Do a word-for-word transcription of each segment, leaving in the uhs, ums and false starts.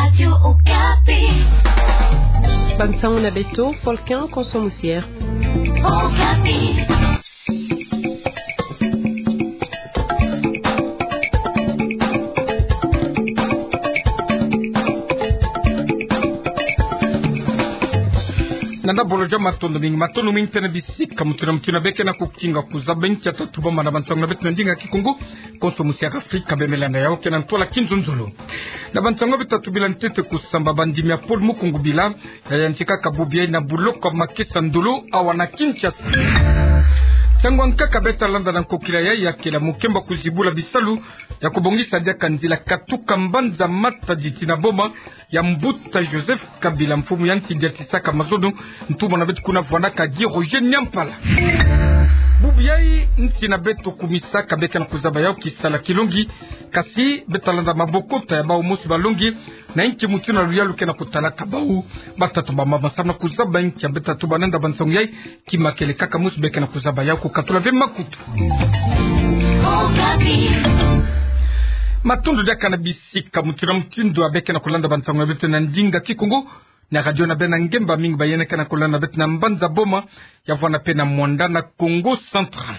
Radio Okapi. Bansango na beto, Folkin Konso Musiere. Okapi. Nanda bolo ja matondo mingi, matondo mingi mpe na bisika mutu na mutu na beke na kukinga kuzaba nkia tatu bama na bansango na beto na ndinga Kikongo. Konso Musiere Afrika, bemela na yau ke na ntwala kinzonzolo. Na bansango beto tatu bila ntete kusamba bandimi ya pôle Mukungubila, ya yantikaka bubu yai na buloko makesa ndolo awa na Kinshasa. Ntangu ankaka beta landa na nkokila yai ya kela mukemba kuzibula bisalu ya kubongisa diaka nzila katuka mbanza Matadi tii na boma ya Mbuta Joseph Kabila, mfumu ya nsi diatisaka mazono, ntumwa na beto kuna vwandaka Guy Roger Nyampala. Bubu yai nsi na beto kumisaka beke na kuzaba yau kisala kilongi, kasi beta landa mabokota ya bau mosi balongi, na inki mutu na luyalu ke na kutalaka bau. Batatu bamama samu na kuzaba nkia beta tuba nanda bansango yai, ki makele kaka mosi beke na kuzaba yau, kukatula ve makutu. Matondo diaka na bisika mutu na mutu ndu wa beke na kulanda bansango na beto na ndinga Kikongo na radio na bena ngemba mingi ba yena ke na kulanda beto na mbanza Boma, ya vwanda mpe na Muanda na Kongo Central.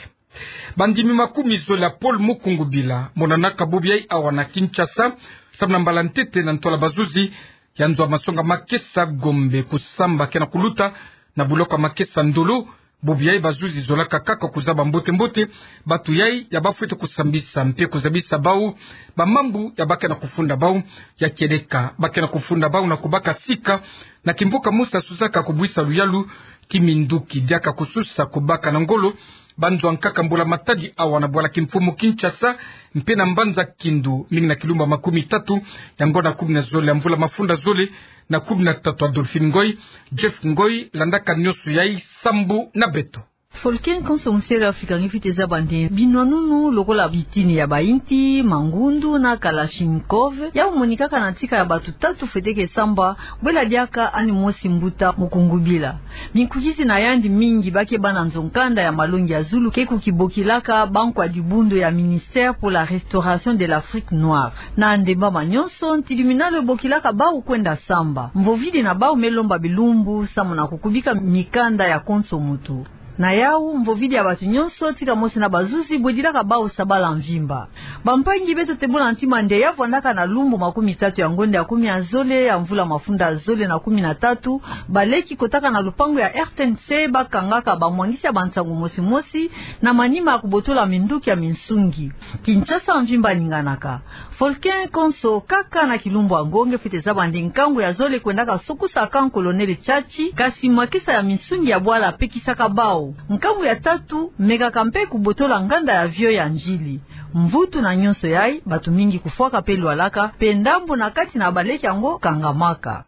Bandimi makumi zole ya pôle Mukungubila monanaka bubu yai awa na Kinshasa, samu na mbala ntete na ntwala bazuzi ya nzo ya masonga makesa Gombe kusamba ke na kuluta na buloko makesa ndolo. Bubu yai bazuzi zolaka kaka kuzaba mbote-mbote bantu yai ya bafwete kusambisa mpe kuzabisa bau bamambu ya ba ke na kufunda bau, ya kieleka ba ke na kufunda bau na kubaka sika na kimvuka mosi ya suzaka kubwisa luyalu, kiminduki diaka kususa kubaka na ngolo banzo ankaka mbula-matadi awa na bwala kimfumu Kinshasa, mpe na mbanza Kindu, mingi na kilumbu ya makumi tatu ya ngonda kumi na zole ya mvula mafunda zole na kumi na tatu. Adolphine Ngoy, Jeff Ngoy, landaka nyonso yai sambu na beto. Folkin Konso Musiere Afrika, nge fwete zaba nde binwanunu lokola bitini ya bainti, mangundu na kalachnikov, yau monikaka na ntika ya bantu tatu fwete ke samba, bwela diaka ani mosi mbuta Mukungubila. Minkukisi na yandi mingi ba ke bana nzo-nkanda ya malongi ya zulu ke kukibokilaka bankwa dibundu ya Ministère pour la Restauration de l'Afrique Noire. Na ndemba ma nyonso, ntiluminalo ebokilaka bau kwenda samba. Mvovidi na bau me lomba bilumbu samu na kukubika mikanda ya konso muntu. Na yau, mvovidi ya bantu nyonso, tika mosi na bazuzi, bwedilaka bau sabala mvimba. Bampangi, beto tebula ntima nde ya vwandaka na lumbu makumi tatu ya ngonda ya kumi ya zole ya mvula mafunda zole na kumi na tatu, baleki kotaka na lupangu ya R T N C bakangaka bamwangisi ya bansangu mosi-mosi na manima ya kubotola minduki ya minsungi. Kinshasa mvimba aninganaka. Folkin Konso, kaka na kilumbu yango nge fwete zaba nde nkangu ya zole kwendaka sokusa camp Colonel Tshatshi, kasi makesa ya minsungi ya bwala pekisaka bau. Nkangu ya tatu mekaka mpe kubotola nganda ya avion ya Ndjili. Mvutu na nyonso yai, bantu mingi kufwaka mpe lwalaka, mpe ndambu na kati na baleki yango kangamaka.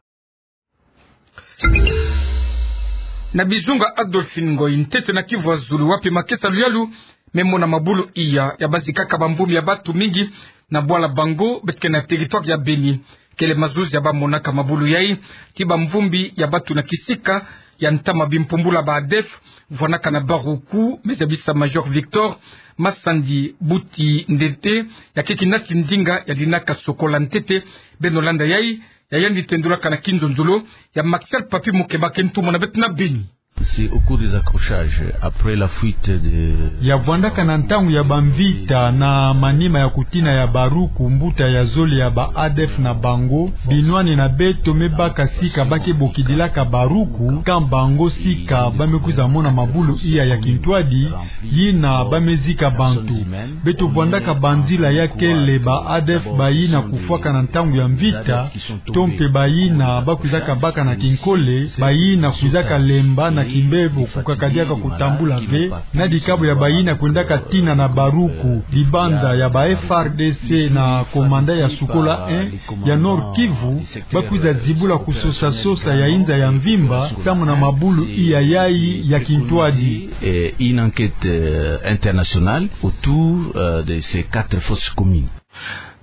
Na bizunga Adolphine Ngoy, ntete na Kivu ya zulu, wapi makesa luyalu me mona mabulu iya ya bazikaka bamvumbi ya bantu mingi na bwala Bango, beto ke na territoire ya Beni. Kele mazuzi ya bamonaka mabulu yai, ti bamvumbi ya bantu na kisika ya ntama bimpumbula ba ADF, vwandaka na Baruku, me zabisa Major Victor Masandi Buti Ndete, ya ke kinati ndinga ya dinaka sokola ntete. Beno landa yai, ya yandi tendulaka na kinzonzolo ya Maxel Papi Mukebake, ntumwa na beto na Beni. C'est au cours des accrochages, après la fuite de... Ya vwandaka na ntangu ya bamvita, na manima ya kutina ya Baruku, mbuta ya zole ya ba ADF na Bango, binwani na beto me baka sika ba ke bokidilaka Baruku, camp Bango, sika ba me kwiza mona mabulu iya ya kintwadi, yina ba me zika bantu. Beto vwandaka banzila ya kele ba ADF bayina kufwaka na ntangu ya mvita, to mpe bayina ba kwizaka baka na kinkole, bayina kwizaka lemba na kimbebo, kukaka diaka kutambula ve, na dikabu ya bayina kwendaka tina na Baruku, libanza ya ba F A R D C na komanda ya Sukola un ya Nord-Kivu, ba kwiza zibula kusosa-sosa ya inza ya mvimba, samu na mabulu iya yai ya kintwadi. Et une enquête, euh, internationale autour, euh, de ces quatre fosses communes.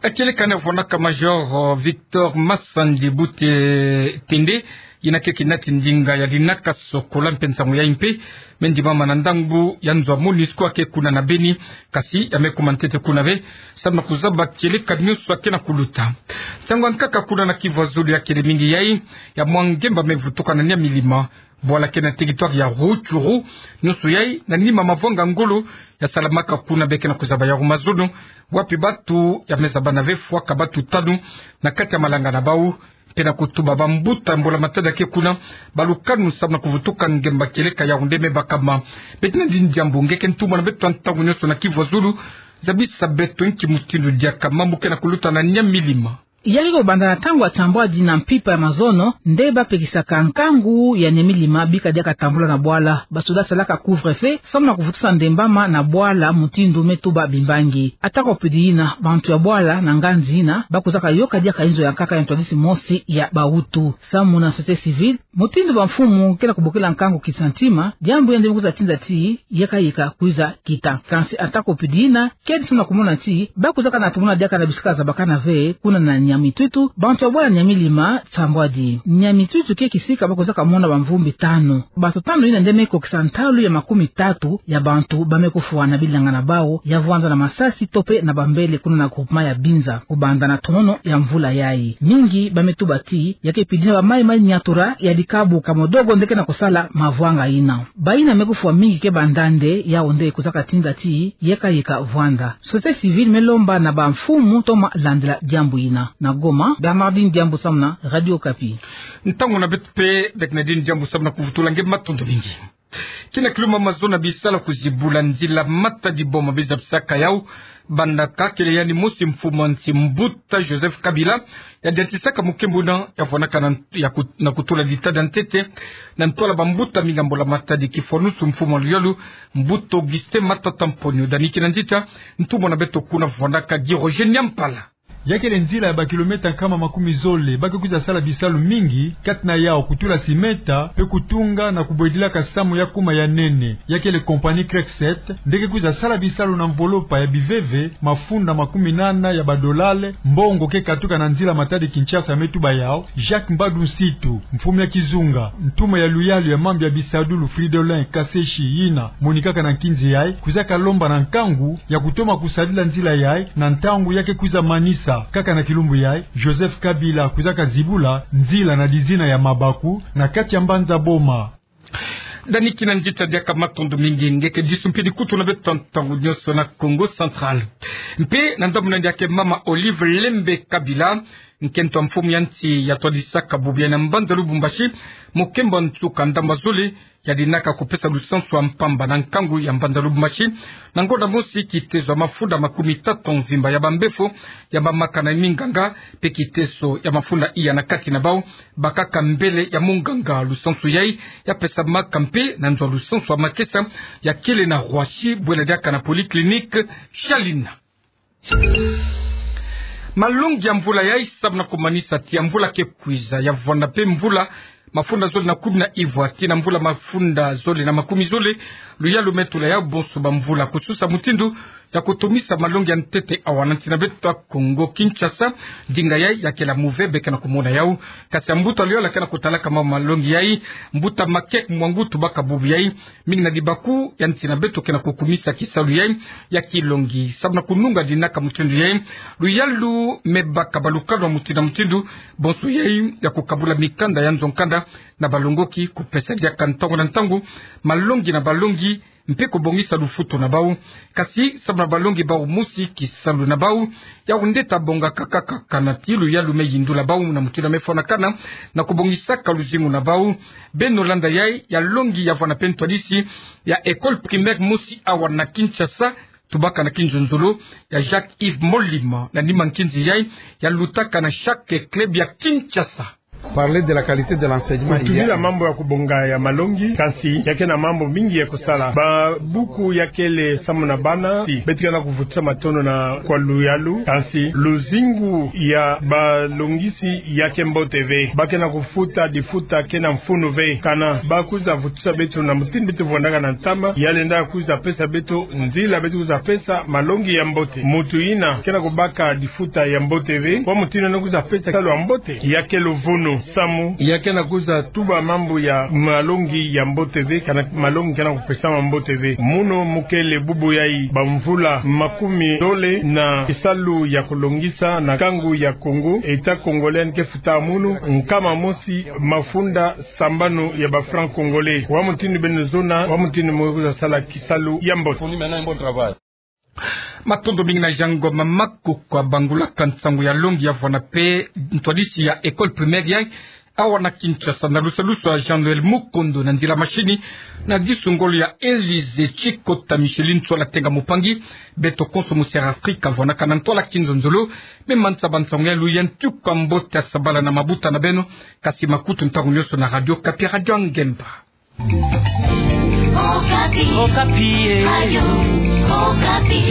Akele kana vwandaka Major, euh, Victor Masandi Buti Tende, yina ke kinati ndinga ya dinaka sokola, mpe nsangu yai mpe Me ndimama na ndambu ya nzo ya MONUSCO ya ke kuna na Beni, kasi ya me kuma ntete kuna ve, samu na kuzaba kieleka nyonso ya ke na kuluta. Nsangu ya nkaka kuna na Kivu ya Zulu ya kele mingi yai, ya mwa ngemba me vutuka na Nyamilima, bwala ke na territoire ya Rutshuru, nyonso yai na nima mavwanga ngolo ya salamaka kuna, be ke na kuzaba ya Rwamazono, wapi batu ya me zaba na ve fwaka batu tanu na kati ya malanga na bau, mpe na kutuba bambuta mbula matadi ya ke kuna, balukanu samu na kuvutuka ngemba kieleka Yaoundé me bakama. Bernardine Diambu, nge ke ntumwa na beto ya ntangu nyonso na Kivu ya Zulu, zabisa beto nki mutindu diaka mambu ke na kuluta na Nyamilima. Ya ke kobanda na ntangu ya nsambwadi na mpimpa ya mazono nde bapekisaka nkangu ya Nyamilima bika diaka tambula na bwala. Basoda salaka couvre-feu samu na kuvutisa ndembama na bwala mutindu me tuba bimbangi. Atako pedi yina, bantu ya bwala na nganzi yina bakwizaka yoka diaka inzo ya nkaka ya ntwadisi mosi ya bawutu. Samu na société civile, mutindu bamfumu ke na kubokela nkangu kisantima, diambu ya nde me kwiza tinda ti yeka yeka kwiza kita. Kansi atako pedi yina, kedi samu na kumona ti bakwizaka na tumona diaka na bisika zabakana ve kuna na Nyamitutu, bantu ya bwala Nyamilima nsambwadi. Nyamitutu ke kisika bakwizaka mona bamvumbi tanu. Bato tanu yina nde me kokisa ntalu ya makumi tatu ya bantu ba me kufwa na bilanga na bau ya vwanza na masasi to mpe na bambele kuna na groupement ya Binza, kobanda na tonono ya mvula yai. Mingi ba me tuba ti ya ke pedi yina bamayi-mayi nyatura ya dikabu Kamodogo nde ke na kusala mavwanga yina. Bayina me kufwa mingi ke banda nde, Yaoundé kwizaka tinda ti yeka yeka vwanda. Société civile me lomba na bamfumu toma landila diambu yina. Na Goma, Bernardine Diambu samu na Radio Okapi. Ntangu na beto mpe, Bernardine Diambu samu na kuvutula nge, matondo mingi. Kina kilumbu mazono ya bisala kuzibula nzila Matadi Boma, biza bisaka yau, bandaka kele yandi mosi mfumu ya nsi, mbuta Joseph Kabila, ya diantisaka mukembo na ya vwanaka na, ya kut-, na kutula ditada ntete na ntwala bambuta mingi ya Mbula Matadi, kifwanusu mfumu ya luyalu, mbuta Augustin Matata Mponyo. Dani kina nzita, ntumwa na beto kuna vwanaka Guy Roger Nyampala. Ya kele nzila ya bakilomètre nkama makumi zole, ba ke kwiza sala bisalu mingi, kati na yau kutula simenta, mpe kutunga na kubwedilaka samu ya kuma ya nene. Ya kele compagnie Crecset nde ke kwiza sala bisalu na mvolopa ya biveve, mafunda makumi nana ya badolale, mbongo ke katuka na nzila Matadi-Kinshasa, me tuba yau Jacques Mbadu Nsitu. Mfumu ya kizunga, ntumwa ya luyalu ya mambu ya bisadulu Fridolin Kaseshi, yina monikaka na nkinzi yai, kwizaka lomba na nkangu ya kutoma kusadila nzila yai na ntangu ya ke kwiza manisa. Kaka na kilumbu yai, Joseph Kabila kwizaka zibula nzila na dizina ya Mabaku na kati ya mbanza Boma. Dani kina nzita, diaka matondo mingi. Nge ke disu mpe dikutu na beto ya ntangu nyonso na Kongo Central. Mpe na ndambu na yandi ya ke mama Olive Lembe Kabila, nkento ya mfumu ya nsi, ya twadisaka bubu yai na mbanza Lubumbashi mukembo ya nsuka ndambu ya zole, ya dinaka kupesa lusansu ya mpamba na nkangu ya mbanza Lubumbashi, na ngonda mosi kiteso ya mafunda makumi tatu mvimba ya bambefo ya bamaka na minganga, mpe kiteso ya mafunda iya na kati na bau bakaka mbele ya monganga. Lusansu yai ya pesamaka mpe na nzo ya lusansu ya makesa ya kele na Roissy, bwela diaka na polyclinique Shalina. Malongi ya mvula yai, samu na kumanisa ti ya mvula ke kwiza, ya vwanda mpe mvula mafunda zole na kumi na ivwa tii na mvula mafunda zole na makumi zole, luyalu me tula yau bonso bamvula, kususa mutindu ya kutumisa malongi ya ntete awa na nsi na beto ya Kongo Kinshasa. Ndinga yai ya kele ya muve, be ke na kumona yau. Kasi ya mbuta luyalu ya ke na kutalaka ma malongi yai, mbuta Makek Mwangutu, baka bubu yai, mingi na dibaku ya nsi na beto ke na kukumisa kisalu yai ya kilongi, samu na kununga dinaka mutindu yai. Luyalu me baka balukanu ya mutindu na mutindu, bonso yai ya kukabula mikanda ya nzo-nkanda na balongoki, kupesa diaka ntangu na ntangu malongi na balongi, mpe kubongisa lufutu na bau. Kasi samu na balongi bau mosi, kisalu na bau yau nde ta bongaka kaka, kana ti luyalu me yindula bau na mutindu ya me fwanakana na kubongisaka luzingu na bau. Beno landa yai ya longi ya vwanda mpe ntwadisi ya école primaire mosi awa na Kinshasa, tubaka na kinzonzolo ya Jacques Yves Molima, na nima nkinzi yai ya lutaka na chaque club ya Kinshasa. Parler de la qualité de l'enseignement, il y a... Kutubila mambu ya kubonga ya malongi, kasi ya ke na mambu mingi ya kusala. Babuku ya kele samu na bana, ti beto ke na kuvutisa matondo na kwa luyalu, kasi luzingu ya balongisi ya ke mbote ve. Ba ke na kufuta difuta ke na mfunu ve. Kana ba kwiza vutisa beto na mutindu beto vwandaka na ntama, ya lenda kwiza pesa beto nzila beto kwiza pesa malongi ya mbote. Mutu yina ke na kubaka difuta ya mbote ve, kwa mutindu yina kwiza pesa kisalu ya mbote, ya ke luvunu. Nsamu ya ke na kwiza tuba mambu ya malongi ya mbote ve, kana malongi ke na kupesama mbote ve. Munu mu kele bubu yayi, bamvula makumi dole na kisalu ya kulongisa na kangu ya Congo, État congolais ke futa munu nkama mosi mafunda sambanu ya ba francs congolais. Wa mutindu beno zona, wa mutindu mu kwiza sala kisalu ya mbote. Matondo mingi na Jean Ngoma Makuku. Abangulaka nsangu ya longi ya vwanda pe ntwadisi ya école primaire yayi awa na Kinshasa, na lusalusu ya Jean Noël Mukondo, na nzila mashini na disu ngolo ya Élysée Tshikota Micheline Ntsola Tenga Mupangi. Beto konso mu Sierra Africa vwandaka na ntwala kinzonzolo. Me mansa ba nsangu ya luyantika mbote ya sabala na mabuta na beno, kasi makutu ntangu nyonso na Radio Okapi, Radio ya Ngemba. Okapi. Okapi, eh. Radio Okapi.